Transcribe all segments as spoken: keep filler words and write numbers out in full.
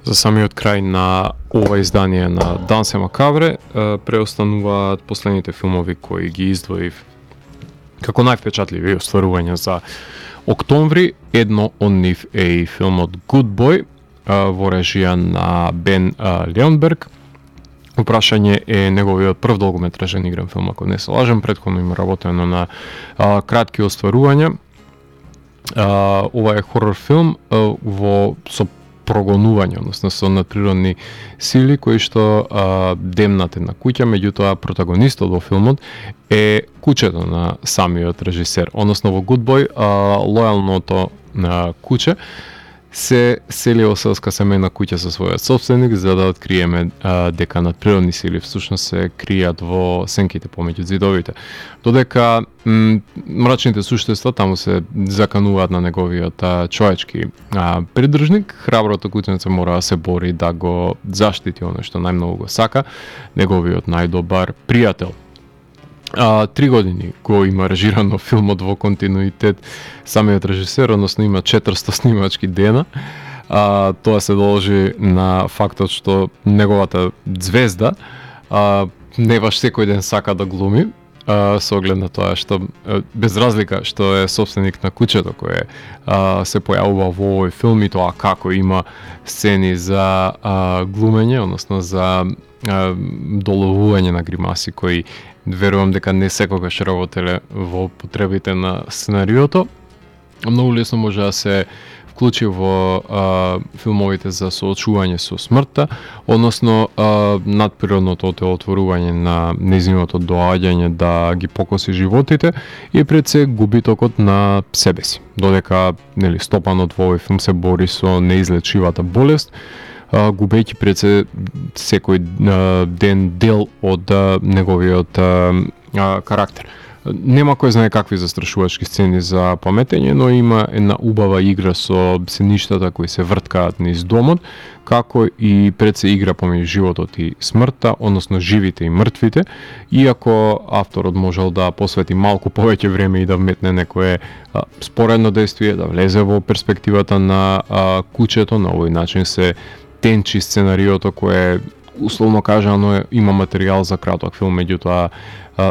За самиот крај на ова издание на Дансе Макабре преостануваат последните филмови кои ги издвоив како највпечатливи остварувања за октомври. Едно од нив е и филмот Good Boy во режија на Бен Леонберг. Упрашање е неговиот прв долгометражен игран филм, ако не се лажам. Претходно има работено на а, кратки остварувања. А, ова е хорор филм а, во со прогонување, односно со надприродни сили кои што а, демнат една куќа, меѓутоа протагонистот во филмот е кучето на самиот режисер. Односно во Good Boy а, лојалното на куче се сели во селска семејна куќа со својот собственик за да откриеме а, дека надприродни сили всушност се кријат во сенките помеѓу зидовите. Додека м, мрачните суштества таму се закануваат на неговиот а, човечки а, придржник, храброто кученце мора да се бори да го заштити оно што најмногу го сака, неговиот најдобар пријател. А, три години го има режирано филмот во континуитет самиот режисер, односно има четиристо снимачки дена. А, тоа се должи на фактот што неговата звезда а, не баш секој ден сака да глуми, а, со оглед на тоа што без разлика што е собственик на кучето кое а, се појавува во овој филм и тоа како има сцени за а, глумење, односно за а, доловување на гримаси кои верувам дека не секогаш работеле во потребите на сценариото. Многу лесно може да се вклучи во а, филмовите за соочување со смртта, односно а, надприродното отворување на нејзиното доаѓање да ги покоси животите и пред се губитокот на себе си. Додека нели стопанот во овој филм се бори со неизлечивата болест, губејќи пред се секој а, ден дел од а, неговиот а, а, карактер. Нема кој знае какви застрашувачки сцени за паметење, но има една убава игра со сеништата кои се врткаат низ домот, како и пред се игра помеѓу животот и смртта, односно живите и мртвите, иако авторот можел да посвети малку повеќе време и да вметне некое а, споредно действие, да влезе во перспективата на а, кучето, на овој начин се тенчи сценариото кое условно кажано има материјал за краток филм, меѓутоа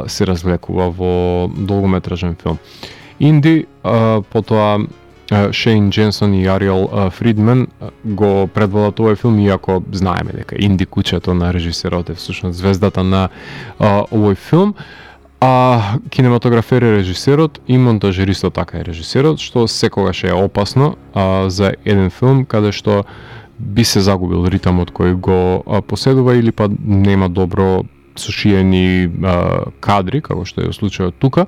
се развлекува во долгометражен филм. Инди, а, потоа Шейн Дженсон и Ариел Фридман го предводат овој филм, иако знаеме дека Инди кучето на режисерот е всушност звездата на а, овој филм. А кинематографер е режисерот и монтажеристот така е режисерот, што секогаш е опасно а, за еден филм каде што би се загубил ритамот кој го а, поседува или па нема добро сушиени а, кадри, како што е случајот тука.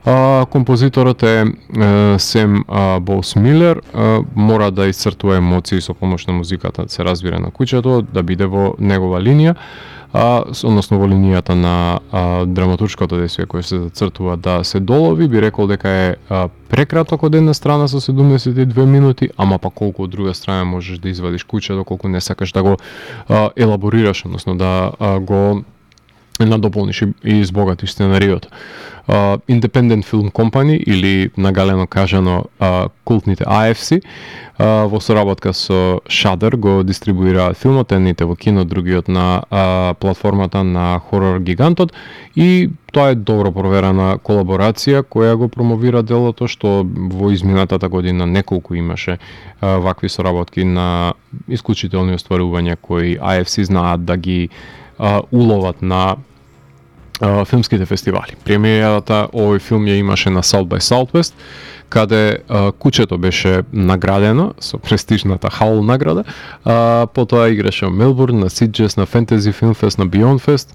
А, композиторот е, е Сем Боус Милер, а, мора да исцртува емоции со помош на музиката, да се разбира на куќето, да биде во негова линија, а, односно во линијата на а, драматуршкото действие кое се зацртува да се долови. Би рекол дека е а, прекраток од една страна со седумдесет и две минути, ама па колку од друга страна можеш да извадиш куќето, колку не сакаш да го а, елаборираш, односно да а, го надополниш и избогатиш сценариото. Uh, Independent Film Company или нагалено кажано uh, култните А Ф Си uh, во соработка со Shudder го дистрибуираат филмот, едните во кино, другиот на uh, платформата на хорор гигантот, и тоа е добро проверена колаборација која го промовира делото, што во изминатата година неколку имаше uh, вакви соработки на исклучителни остварувања кои А Ф Си знаат да ги uh, уловат на Uh, филмските фестивали. Премиерата овој филм ја имаше на South by Southwest, каде uh, кучето беше наградено со престижната Хаул награда, uh, потоа играше во Мелбурн, на Сиджес, на Fantasy Film Fest, на Beyond Fest.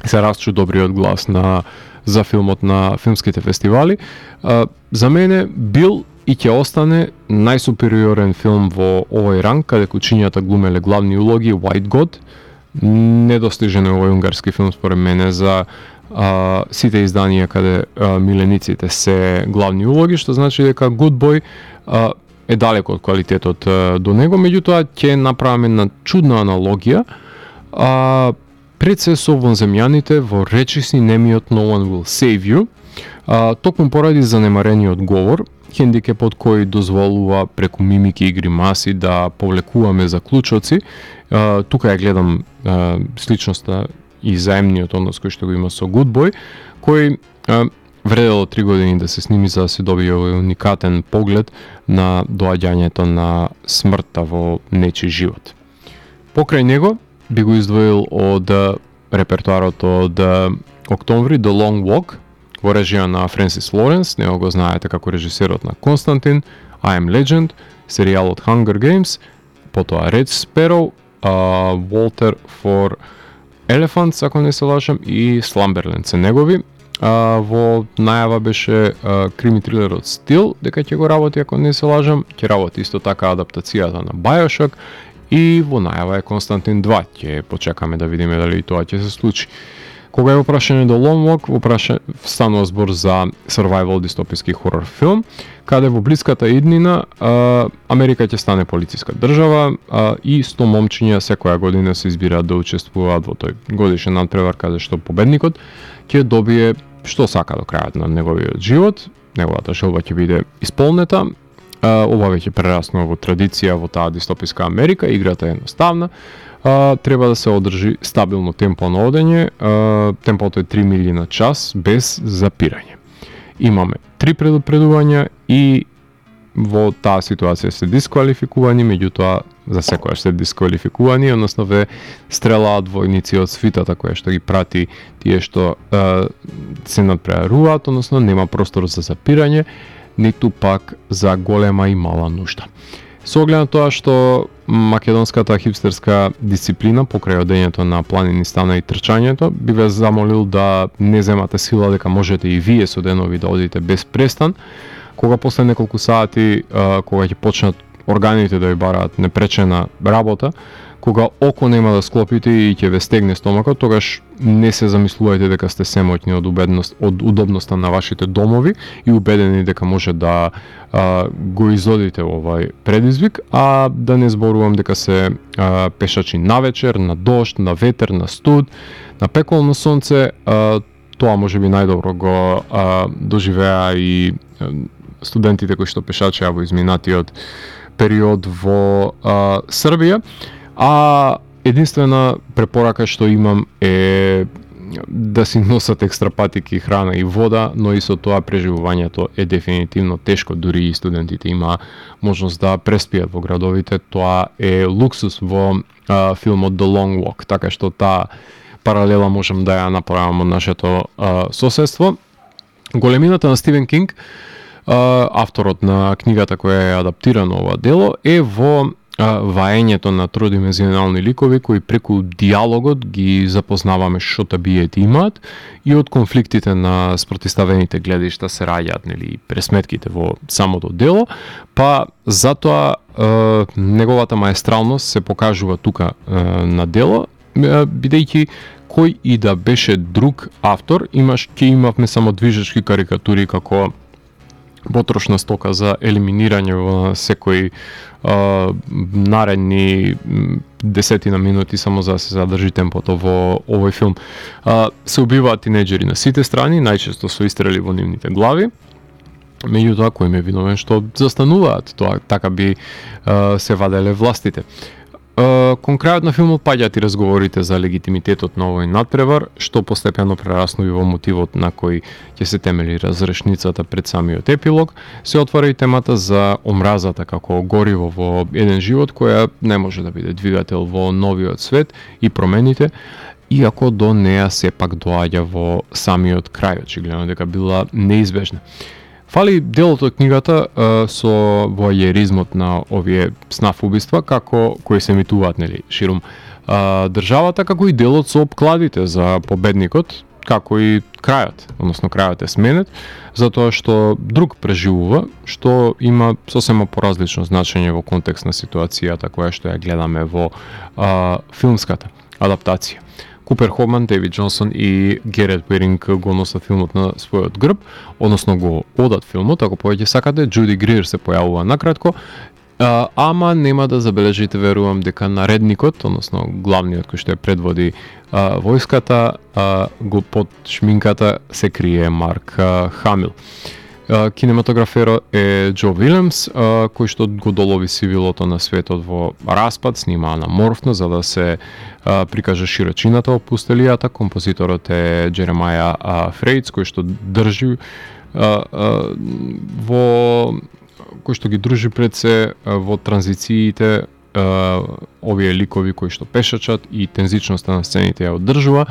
Се расчу добриот глас на за филмот на филмските фестивали. Uh, за мене бил и ќе остане најсупериорен филм во овој ранг, каде кучињата глумеле главни улоги. White God, недостижен е овој унгарски филм според мене за а, сите изданија каде а, милениците се главни улоги, што значи дека Good Boy а, е далеко од квалитетот а, до него, меѓутоа ќе направиме една чудна аналогија а, пред се со вонземјаните во речиси немиот No One Will Save You, а, токму поради занемарениот говор, хендикепот кој дозволува преку мимики и гримаси да повлекуваме заклучоци. Uh, тука ја гледам uh, сличноста и заемниот однос кој што го има со Good кој uh, вредело три години да се сними за да се добие овој уникатен поглед на доаѓањето на смртта во нечи живот. Покрај него би го издвоил од репертуарот од Октомври The Long Walk во режија на Френсис Лоренс, него го знаете како режисерот на Константин, I Am Legend, серијалот Hunger Games, потоа Red Sparrow, Uh, Walter for Elephants, ако не се лажам, и Slumberland се негови. Uh, во најава беше uh, крими трилерот Steel, дека ќе го работи, ако не се лажам, ќе работи исто така адаптацијата на Bioshock и во најава е Константин два, ќе почекаме да видиме дали и тоа ќе се случи. Кога е опрашање до Long Walk, опраша станува збор за survival дистописки хорор филм, каде во блиската иднина а, Америка ќе стане полициска држава а, и сто момчиња секоја година се избираат да учествуваат во тој годишен надпревар, каде што победникот ќе добие што сака до крајот на неговиот живот, неговата желба ќе биде исполнета. А, ова веќе прераснува во традиција во таа дистописка Америка, играта е едноставна. Uh, треба да се одржи стабилно темпо на одење, uh, темпото е три милји на час без запирање. Имаме три предупредувања и во таа ситуација се дисквалификувани, меѓутоа за секојаш се дисквалификувани, односно ве стрелаат војници од свитата која што ги прати тие што uh, се надпреваруваат, односно нема простор за запирање, ниту пак за голема и мала нужда. Со оглед на тоа што македонската хипстерска дисциплина покрај одењето на планини стана и трчањето, би ве замолил да не земате сила дека можете и вие со денови да одите без престан, кога после неколку сати, кога ќе почнат органите да ја бараат непречена работа, кога око нема да склопите и ќе ве стегне стомакот, тогаш не се замислувајте дека сте семоќни од убедност, од удобноста на вашите домови и убедени дека може да а, го изодите овај предизвик, а да не зборувам дека се а, пешачи на вечер, на дожд, на ветер, на студ, на пеколно сонце, а, тоа можеби најдобро го а, доживеа и а, студентите кои што пешачеа во изминатиот период во а, Србија. А единствена препорака што имам е да си носат екстра патики, храна и вода, но и со тоа преживувањето е дефинитивно тешко, дури и студентите има можност да преспијат во градовите, тоа е луксус во а, филмот The Long Walk, така што таа паралела можам да ја направам од нашето а, соседство. Големината на Стивен Кинг, а, авторот на книгата која е адаптирана ова дело, е во ваењето на тродимензионални ликови кои преку диалогот ги запознаваме што табиети имаат и од конфликтите на спротиставените гледишта се раѓаат, нели, пресметките во самото дело, па затоа е, неговата маестралност се покажува тука е, на дело, е, бидејќи кој и да беше друг автор, имаш ќе имавме само движечки карикатури како потрошна стока за елиминирање во секој а, наредни десетина минути само за да се задржи темпото во овој филм. А, се убиваат тинеџери на сите страни, најчесто со истрели во нивните глави. Меѓутоа, кој ме виновен што застануваат, тоа така би а, се ваделе властите. Uh, кон крајот на филмот паѓаат и разговорите за легитимитетот на овој надпревар, што постепено прераснува во мотивот на кој ќе се темели разрешницата пред самиот епилог. Се отвара и темата за омразата како гориво во еден живот, која не може да биде двигател во новиот свет и промените, иако до неа сепак доаѓа во самиот крај, очигледно дека била неизбежна. Фали делото од книгата а, со воајеризмот на овие снаф убиства, како кои се емитуваат, нели, ширум а, државата, како и делот со обкладите за победникот, како и крајот, односно крајот е сменет, затоа што друг преживува, што има сосема поразлично значење во контекст на ситуацијата која што ја гледаме во а, филмската адаптација. Купер Хоман, Дейвид Джонсон и Герет Уеринг го носат филмот на својот грб, односно го одат филмот, ако повеќе сакате. Джуди Грир се појавува накратко, а, ама нема да забележите, верувам, дека наредникот, односно главниот кој што ја предводи а, војската, а, го под шминката се крие Марк а, Хамил. Кинематограферот е Џо Вилемс, кој што го долови сивилото на светот во распад, снима анаморфно за да се прикаже широчината во пустелијата. Композиторот е Джеремаја Фрејц, кој што држи во кој што ги дружи пред се во транзициите овие ликови кои што пешачат и тензичноста на сцените ја одржува.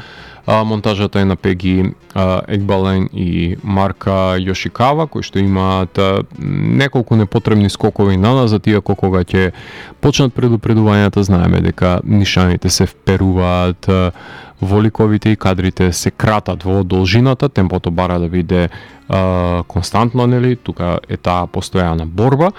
Монтажата е на Пеги Екбален и Марка Јошикава, кои што имаат неколку непотребни скокови наназад, иако кога ќе почнат предупредувањата знаеме дека нишаните се вперуваат во ликовите и кадрите се кратат во должината, темпото бара да биде а, константно, нели, тука е таа постојана борба,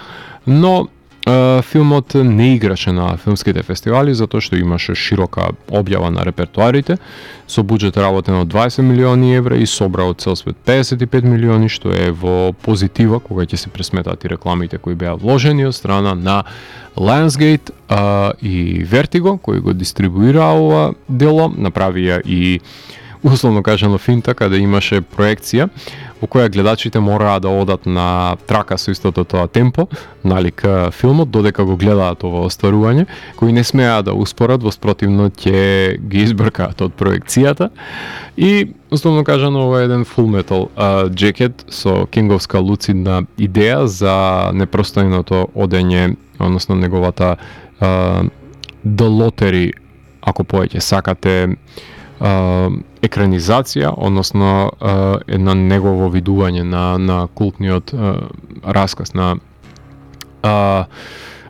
но а, филмот не играше на филмските фестивали затоа што имаше широка објава на репертуарите, со буџет работен од дваесет милиони евра и собра од цел свет педесет и пет милиони, што е во позитива кога ќе се пресметат и рекламите кои беа вложени од страна на Lionsgate а, и Vertigo, кој го дистрибуира ова дело, направија и условно кажано финта, каде имаше проекција во која гледачите мораа да одат на трака со истото тоа темпо, налик филмот, додека го гледаат ова остварување, кои не смеа да успорат, воспротивно ќе ги избркаат од проекцијата. И, условно кажано, ова е еден Full Metal uh, Jacket со кинговска луцидна идеја за непростојното одење, односно неговата uh, The Lottery, ако повеќе сакате, Uh, екранизација, односно uh, една негово видување на, на култниот uh, расказ на uh,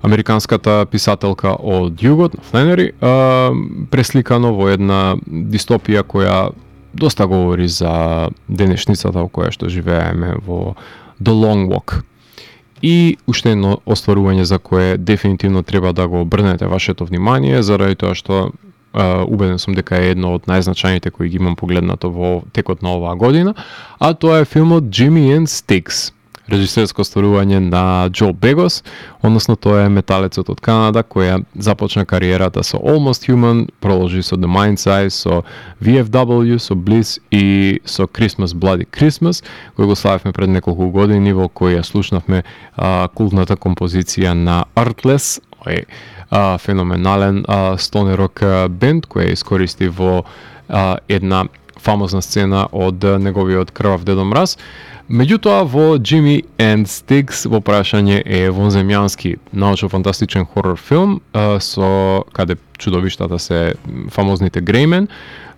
американската писателка од југот, Фленери, uh, пресликано во една дистопија која доста говори за денешницата во која што живееме во The Long Walk. И уште едно остварување за кое дефинитивно треба да го обрнете вашето внимание, заради тоа што Uh, убеден сум дека е едно од најзначајните кои ги имам погледнато во текот на оваа година, а тоа е филмот Jimmy and Sticks, режисерско остварување на Џо Бегос, односно тоа е металецот од Канада која започна кариерата со Almost Human, продолжи со The Mind's Eye, со V F W, со Bliss и со Christmas Bloody Christmas, кој го славевме пред неколку години, во која слушнавме uh, култната композиција на Artless, ој Uh, феноменален uh, стоне рок uh, бенд која искористи во uh, една фамозна сцена од uh, неговиот Крвав Дедо Мраз. Меѓутоа во Jimmy and Sticks во прашање е вонземјански научно-фантастичен хорор филм uh, со каде чудовиштата се фамозните Греймен,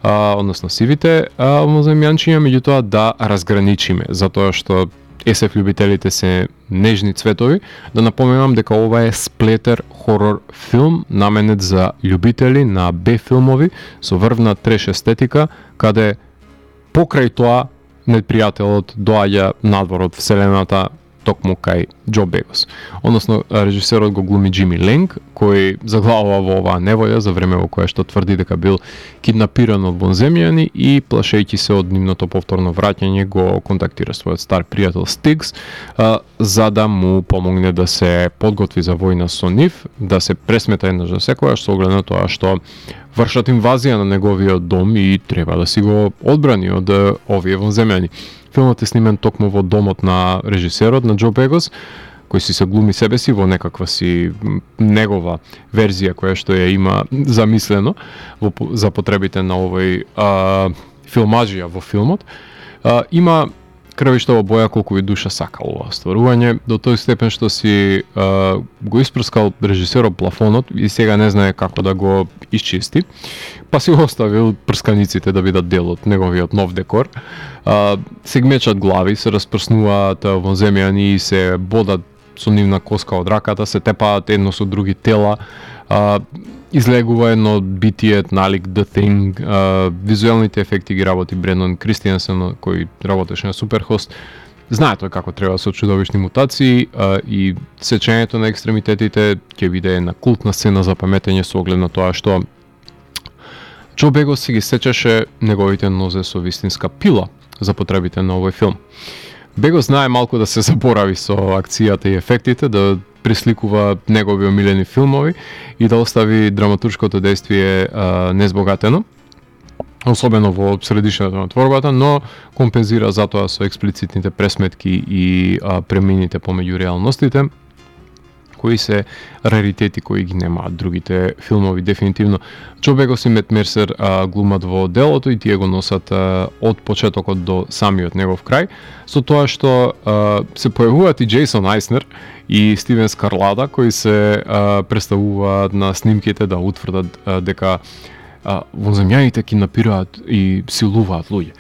uh, односно сивите uh, вонземјанчиња, меѓутоа да разграничиме, затоа што ес еф љубителите се нежни цветови, да напоменам дека ова е сплетер хорор филм наменет за љубители на Б филмови со врвна треш естетика, каде покрај тоа непријателот доаѓа надвор од вселената токму кај Џо Бегос. Односно, режисерот го глуми Џими Ленг, кој заглавува во оваа неволја за време во кое што тврди дека бил киднапиран од вонземјани и, плашејќи се од нивното повторно враќање, го контактира својот стар пријател Стикс, а, за да му помогне да се подготви за војна со нив, да се пресмета еднаш за секојаш, со оглед на тоа што вршат инвазија на неговиот дом и треба да си го одбрани од овие вонземјани. Филмот е снимен токму во домот на режисерот, на Џо Бегос, кој си се глуми себе си во некаква си негова верзија која што ја има замислено во, за потребите на овој а, филмаджија во филмот. А, има крвиштова боја колку и душа сака ова стварување, до тој степен што си а, го испрскал режисерот плафонот и сега не знае како да го исчисти, па си оставил прсканиците да бидат дел од неговиот нов декор. А, се гмечат глави, се распрснуваат вонземјани и се бодат со нивна коска од раката, се тепаат едно со други тела, а, излегува едно битие налик The Thing, а, визуелните ефекти ги работи Брендан Кристијансен, кој работеше на Суперхост. Знае тој како треба со чудовишни мутации, а, и сечењето на екстремитетите ќе биде една култна сцена за паметење со оглед на тоа што Џо Бегос си ги сечеше неговите нозе со вистинска пила за потребите на овој филм. Бегос знае малку да се заборави со акцијата и ефектите, да присликува негови омилени филмови и да остави драматуршкото дејствие а, незбогатено. особено во средишното на творбата, но компензира затоа со експлицитните пресметки и а, премените помеѓу реалностите, кои се раритети кои ги немаат другите филмови. Дефинитивно Џо Бегос и Мет Мерсер а, глумат во делото и тие го носат а, од почетокот до самиот негов крај, со тоа што а, се појавуваат и Джейсон Айснер и Стивен Скарлада, кои се а, представуваат на снимките да утврдат а, дека а, вонземјаните киднапираат и силуваат луѓе.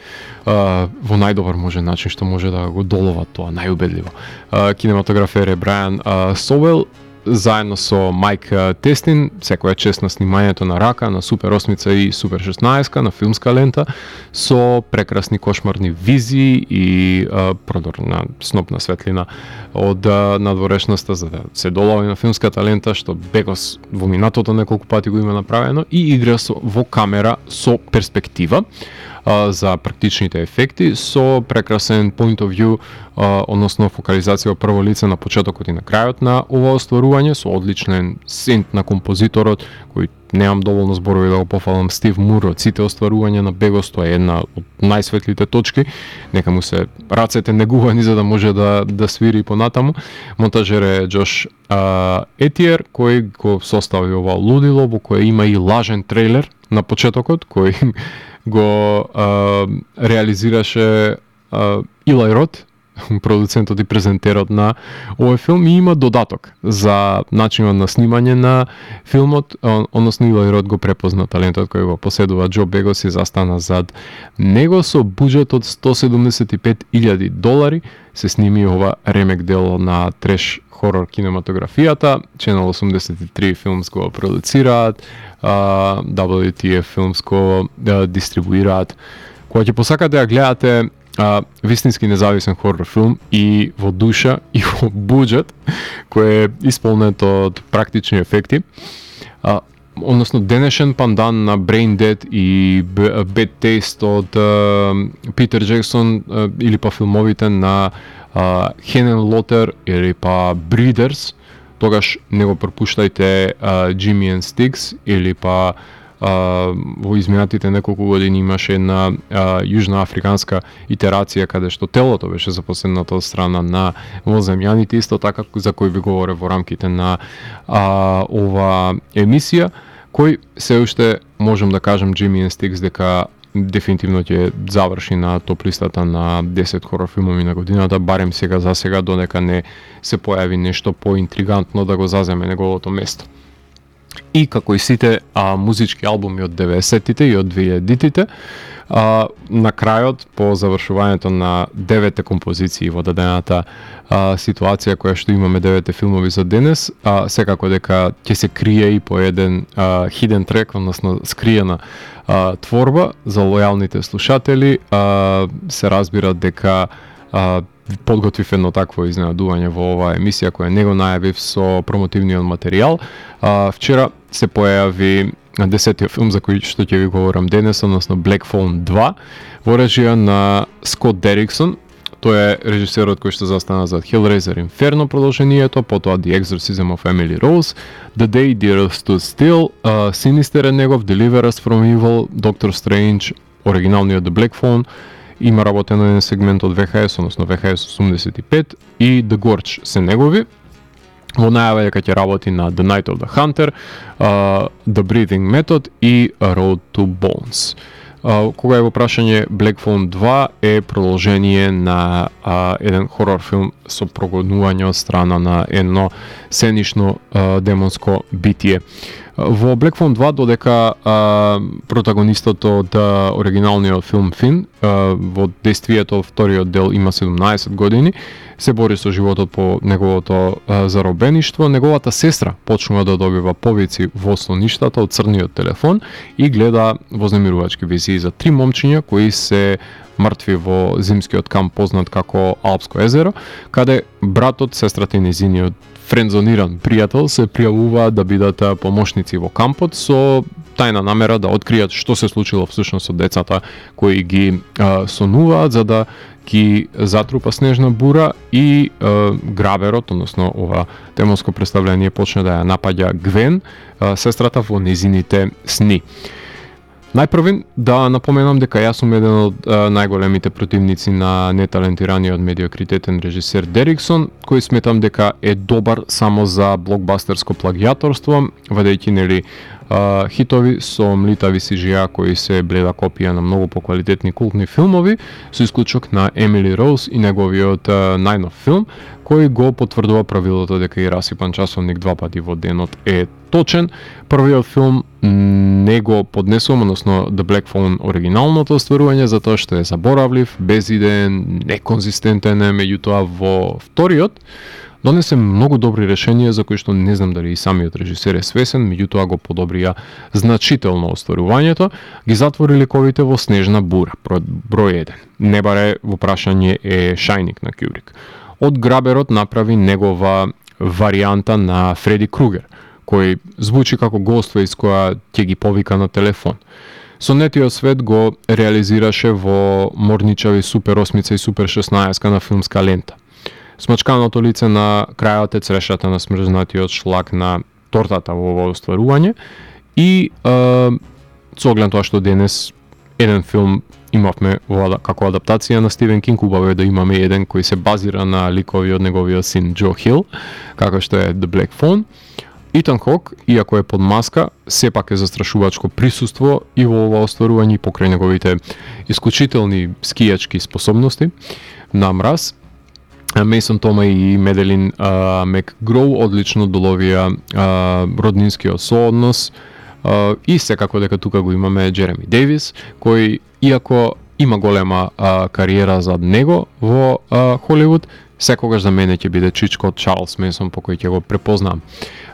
А, во најдобар може начин што може да го доловат тоа, најубедливо. А, кинематографер е Брајан а, Соуел, заедно со Майк Тестин, секоја чест на снимањето на Рака, на Супер осмица и Супер шеснаесет на филмска лента, со прекрасни кошмарни визии и а, продорна снопна светлина од а, надворешноста за да се долови на филмската лента, што Бегос во минатото неколку пати го има направено, и игра со, во камера со перспектива а, за практичните ефекти, со прекрасен point of view, а, односно фокализација во прво лице на почетокот и на крајот на ова остварување, со одличен сент на композиторот, кој немам доволно зборови да го пофалам, Стив Мур, од сите остварувања на Бегос, тоа е една од најсветлите точки, нека му се рацете негувани за да може да, да свири понатаму. Монтажер е Џош а, Етиер, кој го состави ова лудило, во кое има и лажен трейлер на почетокот, кој го а, реализираше а, Илај Рот, продуцентот и презентерот на овој филм, и има додаток за начинот на снимање на филмот, односно Илај Рот го препозна талентот кој го поседува Џо Бегос и застана зад него. Со буџет од сто седумдесет и пет илјади долари се сними ова ремек дело на треш хорор кинематографијата. Channel осумдесет и три Films го продуцираат, дабл ю ти еф Films го дистрибуираат. Кога ќе посакате да гледате а, вистински независен хорор филм и во душа и во буџет, кој е исполнет од практични ефекти, а, односно денешен пандан на Brain Dead и Bad Taste од Питер Джексон, а, или па филмовите на Хенен Лотер или па Breeders, тогаш не го пропуштајте Jimmy and Sticks, или па Uh, во изминатите неколку години имаше една uh, јужноафриканска итерација каде што телото беше запоследното од страна на воземјаните, исто така за кој ви говоре во рамките на uh, ова емисија, кој се уште можам да кажам Jimmy and Sticks дека дефинитивно ќе заврши на топ листата на десет хорор филмови на годината, барем сега за сега, додека не се појави нешто поинтригантно да го заземе неговото место. И како и сите а, музички албуми од деветдесеттите и од двејадитите, а, на крајот, по завршувањето на девете композиции во дадената а, ситуација која што имаме девете филмови за денес, а, секако дека ќе се крие и по еден а, hidden track, односно скриена а, творба за лојалните слушатели. А, се разбира дека а, подготвив едно такво изненадување во оваа емисија која не го најавив со промотивниот материјал. А, вчера се појави десетиот филм за кој што ќе ви говорам денес, односно Black Phone два, во режија на Скот Дериксон. Тој е режисерот кој што застана зад Hellraiser Inferno продолжението, потоа The Exorcism of Emily Rose, The Day the Earth Stood Still, uh, Sinister е негов, Deliver Us from Evil, Doctor Strange, оригиналниот The Black Phone, има работено еден сегмент од ви ха ес, односно ви ха ес осумдесет и пет, и The Gorge се негови. Во најава дека ќе работи на The Night of the Hunter, uh, The Breathing Method и Road to Bones. Uh, кога е во прашање, Black Phone два е продолжение на uh, еден хорор филм со прогонување од страна на едно сценично uh, демонско битие. Во Black Phone два, додека а, протагонистот од а, оригиналниот филм Фин, а, во действието вториот дел има седумнаесет години, се бори со животот по неговото а, заробеништво, неговата сестра почнува да добива повици во соништата од црниот телефон и гледа вознемирувачки визии за три момчиња кои се мртви во зимскиот камп познат како Алпско езеро, каде братот, сестрата и незиниот френдзониран пријател се пријавуваат да бидат помошници во кампот со тајна намера да откријат што се случило всушност со децата кои ги а, сонуваат, за да ги затрупа снежна бура и а, граберот, односно ова темоско представление почне да ја напаѓа Гвен, а, сестрата во незините сни. Најпрвин да напоменам дека јас сум еден од а, најголемите противници на неталентираниот медиокритетен режисер Дериксон, кој сметам дека е добар само за блокбастерско плагијаторство, вадејќи нели а, хитови со млитави си джи ей кои се бледа копија на многу поквалитетни култни филмови, со исклучок на Емили Роуз и неговиот а, најнов филм, кој го потврдува правилото дека и расипан часовник два пати во денот е точен. Првиот филм не го поднесувам, односно The Black Phone оригиналното остварување, затоа што е заборавлив, безидеен, неконзистентен е, меѓутоа во вториот донесе многу добри решенија за кои што не знам дали и самиот режисер е свесен, меѓутоа го подобрија значително остварувањето, ги затвори ликовите во Снежна бура, број еден. Не баре во прашање е Шајник на Кјубрик. Од Граберот направи негова варијанта на Фреди Кругер, кој звучи како Ghostface која ќе ги повика на телефон. Сонетиот свет го реализираше во Морничави Супер осмица и Супер шеснаесет на филмска лента. Смачканото лице на крајот е црешата на смрзнатиот шлак на тортата во ово остварување и е, со оглед тоа што денес еден филм имавме во, како адаптација на Стивен Кинг, убаво е да имаме еден кој се базира на ликови од неговиот син Џо Хил, како што е The Black Phone. Итан Хок, иако е под маска, сепак е застрашувачко присуство и во ова остварување покрај неговите исклучителни скијачки способности на мраз. Мейсон Тома и Меделин Макгроу одлично доловија а, роднинскиот сооднос а, и секако дека тука го имаме Джереми Дејвис, кој иако има голема а, кариера зад него во а, Холивуд, секогаш за мене ќе биде чичко од Чарлс Менсон по кој ќе го препознам.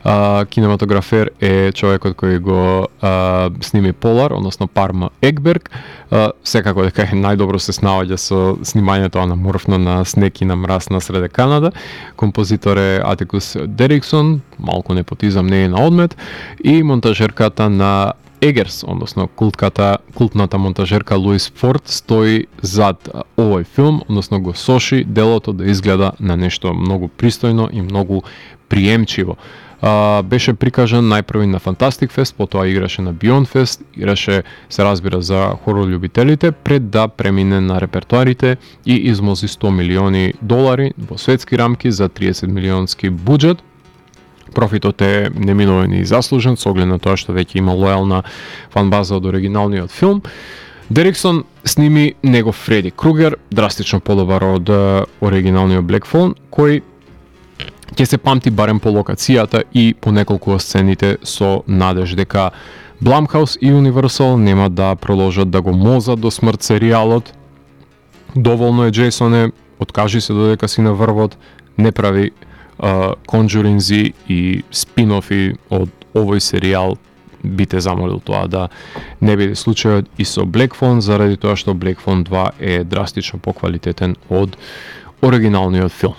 А, кинематографер е човекот кој го а, сними Полар, односно Парма Екберг. А, секако дека е најдобро се снаоѓа со снимањето анаморфно на снег и на мраз на среде Канада. Композитор е Атикус Дериксон, малку непотизам не е на одмет, и монтажерката на Егерс, односно култката, култната монтажерка Луис Форд стои зад овој филм, односно го соши делото да изгледа на нешто многу пристојно и многу приемчиво. Uh, беше прикажан најпрви на Фантастик Фест, потоа играше на Beyond Fest, играше, се разбира, за хорор љубителите, пред да премине на репертуарите и измози сто милиони долари во светски рамки за триесет милионски буџет. Профитот е неминовен и заслужен, со оглед на тоа што веќе има лојална фанбаза од оригиналниот филм. Дериксон сними негов Фреди Кругер, драстично подобар од оригиналниот Black Phone, кој ќе се памти барем по локацијата и по неколку сцените со надеж дека Blumhouse и Universal нема да продолжат да го мозат до смрт серијалот. Доволно е Джейсоне, откажи се додека си на врвот, не прави конџуринзи и спин-офи од овој серијал, би те замолил тоа да не биде случајот и со Black Phone, заради тоа што Black Phone два е драстично поквалитетен од оригиналниот филм.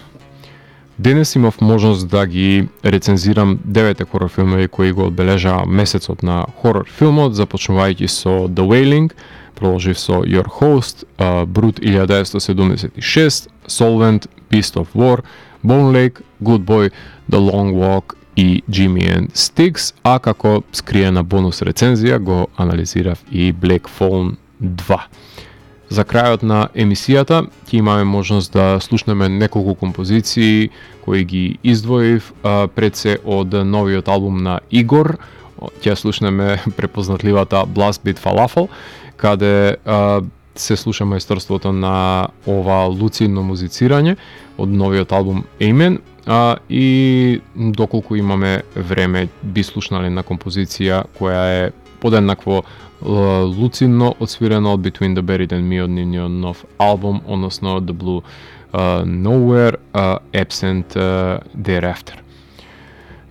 Денес имав можност да ги рецензирам деветте хорор филмови кои го одбележаа месецот на хорор филмот, започнувајќи со The Wailing, продолжив со Your Host, uh, Brut илјада деветстотини седумдесет и шест, Solvent, Beast of War, Bone Lake, Good Boy, The Long Walk и Jimmy and Sticks, а како скриена бонус рецензија го анализирав и Black Phone два. За крајот на емисијата ќе имаме можност да слушнеме неколку композиции кои ги издвоив а, пред се од новиот албум на Игор. Ќе слушнеме препознатливата Blast Beat Falafel, каде а, се слуша мајсторството на ова луцидно музицирање од новиот албум Amen, а, и доколку имаме време би слушнале на композиција која е подеднакво луцидно отсвирено од Between the Buried and Me од нивниот нов албум, односно The Blue uh, Nowhere, uh, Absent uh, Thereafter.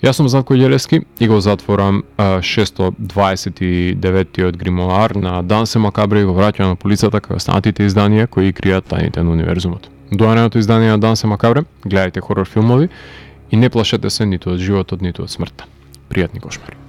Јас сум Зlatko Ѓелевски и го затворам uh, шестsto дваесет и деветиот гримоар на Дансе Макабре и го враќам на полицата како останатите изданија кои кријат тајните на универзумот. До наредното издание на Дансе Макабре, гледајте хорор филмови и не плашете се ниту од животот, ниту од смртта. Пријатни кошмари.